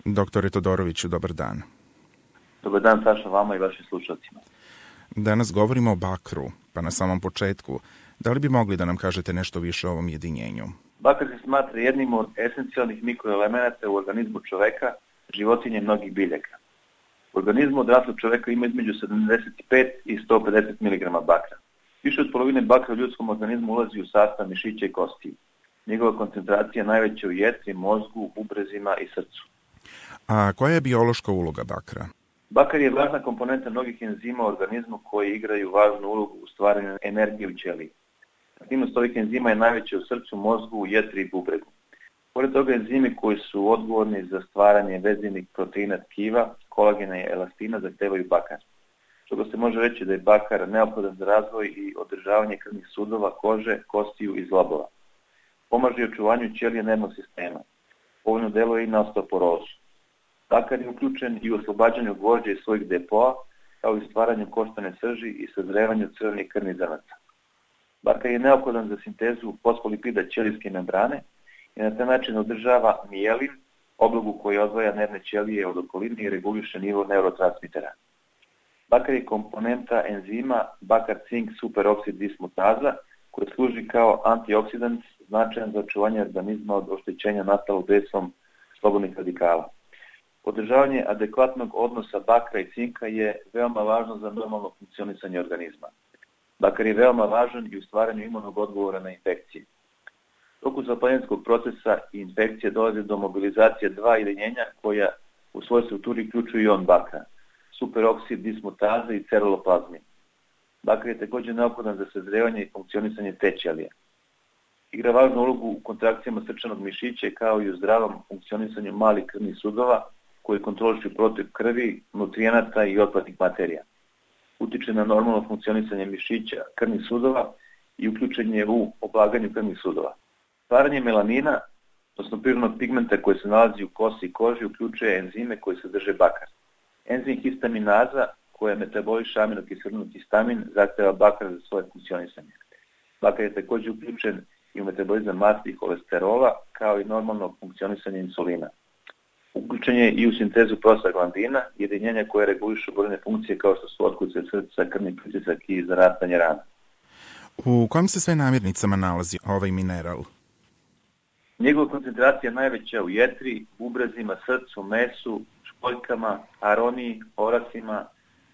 Doktore Todoroviću, dobar dan. Dobar dan, Saša, vama i vašim slušalcima. Danas govorimo o bakru, pa na samom početku, da li bi mogli da nam kažete nešto više o ovom jedinjenju? Bakar se smatra jednim od esencijalnih mikroelemenata u organizmu čoveka, životinje i mnogih biljaka. U organizmu odraslog čoveka ima između 75 i 150 mg bakra. Više od polovine bakra u ljudskom organizmu ulazi u sastav mišića i kostiju. Njegova koncentracija je najveća u jetri, mozgu, bubrezima i srcu. A koja je biološka uloga bakra? Bakar je važna komponenta mnogih enzima u organizmu koji igraju važnu ulogu u stvaranju energije u ćeliji. Aktivnost ovih enzima je najveća u srcu, mozgu, jetri i bubregu. Pored toga enzimi koji su odgovorni za stvaranje vezivnih proteina tkiva, kolagena i elastina zahtevaju bakar. Stoga se može reći da je bakar neophodan za razvoj i održavanje krvnih sudova, kože, kostiju i zglobova. Pomaže i očuvanju ćelije nervnog sistema. Povoljno deluje i na osteoporozu. Bakar je uključen i u oslobađanju gvožđa iz svojih depoa, kao i stvaranju koštane srži i sazrevanju crvenih krvnih zrnaca. Bakar je neophodan za sintezu fosfolipida ćelijske membrane i na taj način održava mijelin, oblogu koji odvaja nervne ćelije od okoline i reguliše nivo neurotransmitera. Bakar je komponenta enzima bakar-cink superoksid dismutaza koji služi kao antioksidant značajan za očuvanje organizma od oštećenja nastalog dejstvom slobodnih radikala. Održavanje adekvatnog odnosa bakra i cinka je veoma važno za normalno funkcionisanje organizma. Bakar je veoma važan i u stvaranju imunog odgovora na infekcije. U toku zapaljenskog procesa i infekcije dolazi do mobilizacije dva jedinjenja koja u svojoj strukturi uključuju ion bakra, superoksid dismutaza i ceruloplasmin. Bakar je također neophodan za sazrevanje i funkcionisanje te ćelije. Igra važnu ulogu u kontrakcijama srčanog mišića kao i u zdravom funkcionisanju malih krvnih sudova koji kontrolišu protok krvi, nutrijenata i otpadnih materija. Utiče na normalno funkcionisanje mišića, krvnih sudova i uključen je u oblaganju krvnih sudova. Stvaranje melanina, odnosno prirodnog pigmenta koji se nalazi u kosi i koži, uključuje enzime koji sadrže bakar. Enzim histaminaza, koja metaboliše aminokiselinu histamin, zahteva bakar za svoje funkcionisanje. Bakar je također uključen i u metabolizam masti i holesterola, kao i normalno funkcionisanje insulina. Uključen je i u sintezu prostaglandina, jedinjenja koje regulišu brojne funkcije kao što su otkucaje srca, krvni pritisak i zarastanje rana. U kojim se sve namirnicama nalazi ovaj mineral? Njegova koncentracija je najveća u jetri, bubrezima, srcu, mesu, školjkama, aroniji, orasima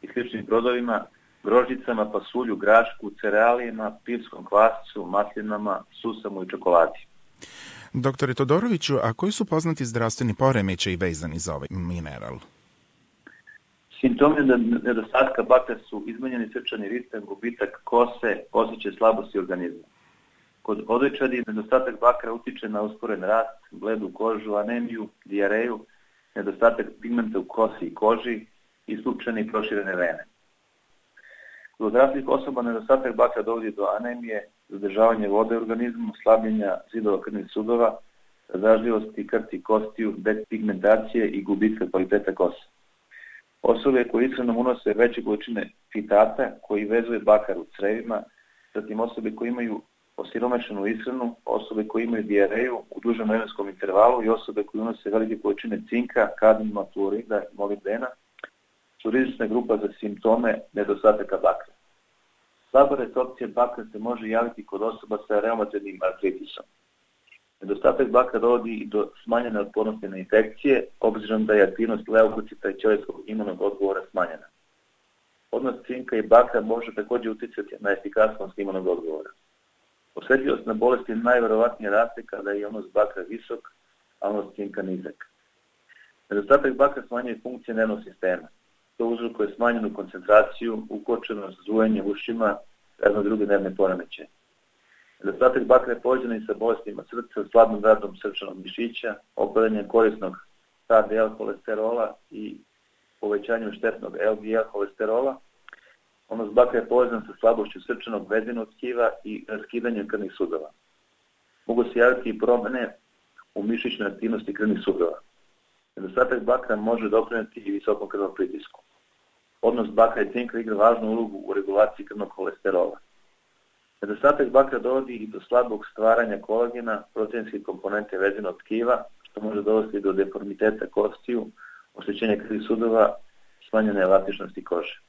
i sličnim brodovima, grožđicama, pasulju, grašku, cerealijama, pivskom kvascu, maslinama, susamu i čokoladi. Doktore Todoroviću, a koji su poznati zdravstveni poremećaji vezani za ovaj mineral? Simptomi nedostatka bakra su izmenjeni srčani ritam, gubitak kose, osjećaj slabosti organizma. Kod odojčadi nedostatak bakra utiče na usporen rast, bledu kožu, anemiju, dijareju, nedostatak pigmenta u kosi i koži, isključene i proširene vene. Kod odraslih osoba nedostatak bakra dovodi do anemije, zadržavanje vode u organizmu, slabljenja zidova krvnih sudova, razdražljivosti krti kostiju, depigmentacije i gubitka kvaliteta kosa. Osobe koje ishranom unose veće količine fitata koji vezuje bakar u crevima, zatim osobe koje imaju osiromašenu ishranu, osobe koje imaju dijareju u dužem vremenskom intervalu i osobe koje unose velike količine cinka, kadmijuma, fluorida i molibdena su rizična grupa za simptome nedostataka bakra. Slaba resorpcija bakra se može javiti kod osoba sa reumatoidnim artritisom. Nedostatak bakra dovodi i do smanjene otpornosti na infekcije, obzirom da je aktivnost leukocita i ćelijskog imunog odgovora smanjena. Odnos cinka i bakra može također uticati na efikasnost imunog odgovora. Osjetljivost na bolesti najverovatnije raste kada je odnos bakra visok, a odnos cinka nizak. Nedostatak bakra smanjuje funkcije nervnog sistema. To uzrokuje smanjenu koncentraciju, ukočenost, zujanje ušima, razno druge nervne poremećaje. Nedostatak bakra je povezan i sa bolestima srca, slabim radom srčanog mišića, opadanjem korisnog HDL holesterola i povećanjem štetnog LDL holesterola. Odnos bakra je povezan sa slabošću srčanog vezenog tkiva i raskidanjem krvnih sudova. Mogu se javiti i promjene u mišićnoj aktivnosti krvnih sudova. Nedostatak bakra može doprinijeti i visokom krvnom pritisku. Odnos bakra i cinka igra važnu ulogu u regulaciji krvnog holesterola. Nedostatak bakra dovodi i do slabog stvaranja kolagena, proteinske komponente vezenog tkiva, što može dovesti do deformiteta kostiju, oštećenja krvnih sudova, smanjene elastičnosti kože.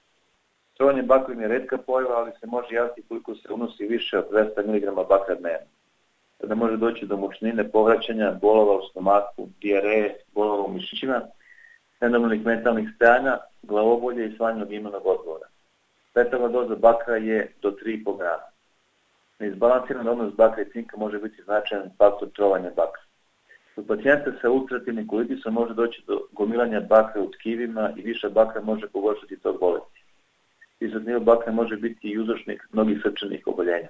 Trovanje bakrom je retka pojava, ali se može javiti koliko se unosi više od 200 mg bakra dnevno. Kada može doći do mučnine, povraćanja, bolova u stomaku, dijareje, bolova u mišićima, nenormalnih mentalnih stajanja, glavobolje i smanjenog imunog odgovora. Letalna doza bakra je do 3,5 grama. Neizbalansiran odnos bakra i cinka može biti značajan faktor trovanja bakra. Kod pacijenta sa ulcerativnim kolitisom može doći do gomilanja bakra u tkivima i viša bakra može pogoršati tog bolesti. Visok nivo bakra može biti i uzročnik mnogih srčanih oboljenja.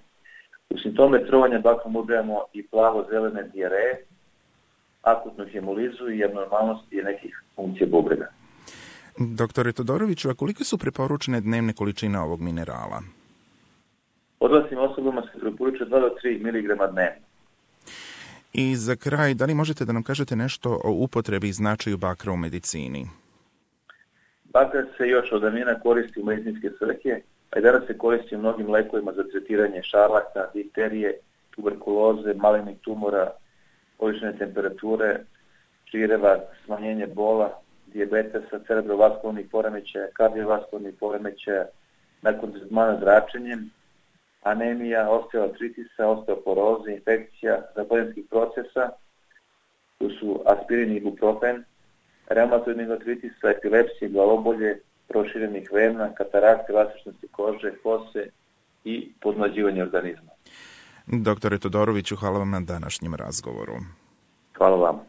U simptome trovanja bakrom ubrajamo i plavo-zelene dijareje, akutnu hemolizu i abnormalnosti nekih funkcija bubrega. Doktore Todoroviću, a kolike su preporučene dnevne količine ovog minerala? Odraslim osobama se preporučuje 2 do 3 mg dnevno. I za kraj, da li možete da nam kažete nešto o upotrebi i značaju bakra u medicini? Bakar se još od davnina koristi u medicinske svrhe, a i danas se koristi u mnogim lekovima za tretiranje šarlaka, difterije, tuberkuloze, malignih tumora, povišene temperature, žireva, smanjenje bola, dijabetesa, cerebrovaskularnih poremećaja, kardiovaskularnih poremećaja, nakon tretmana zračenjem, anemija, osteoartritisa, osteoporoze, infekcija, zapaljenskih procesa, tu su aspirin i ibuprofen, reumatoidnih artritisa, epilepsije, glavobolje, proširenih vena, katarakte, elastičnosti kože, kose i podmlađivanje organizma. Doktore Todoroviću, hvala vam na današnjem razgovoru. Hvala vam.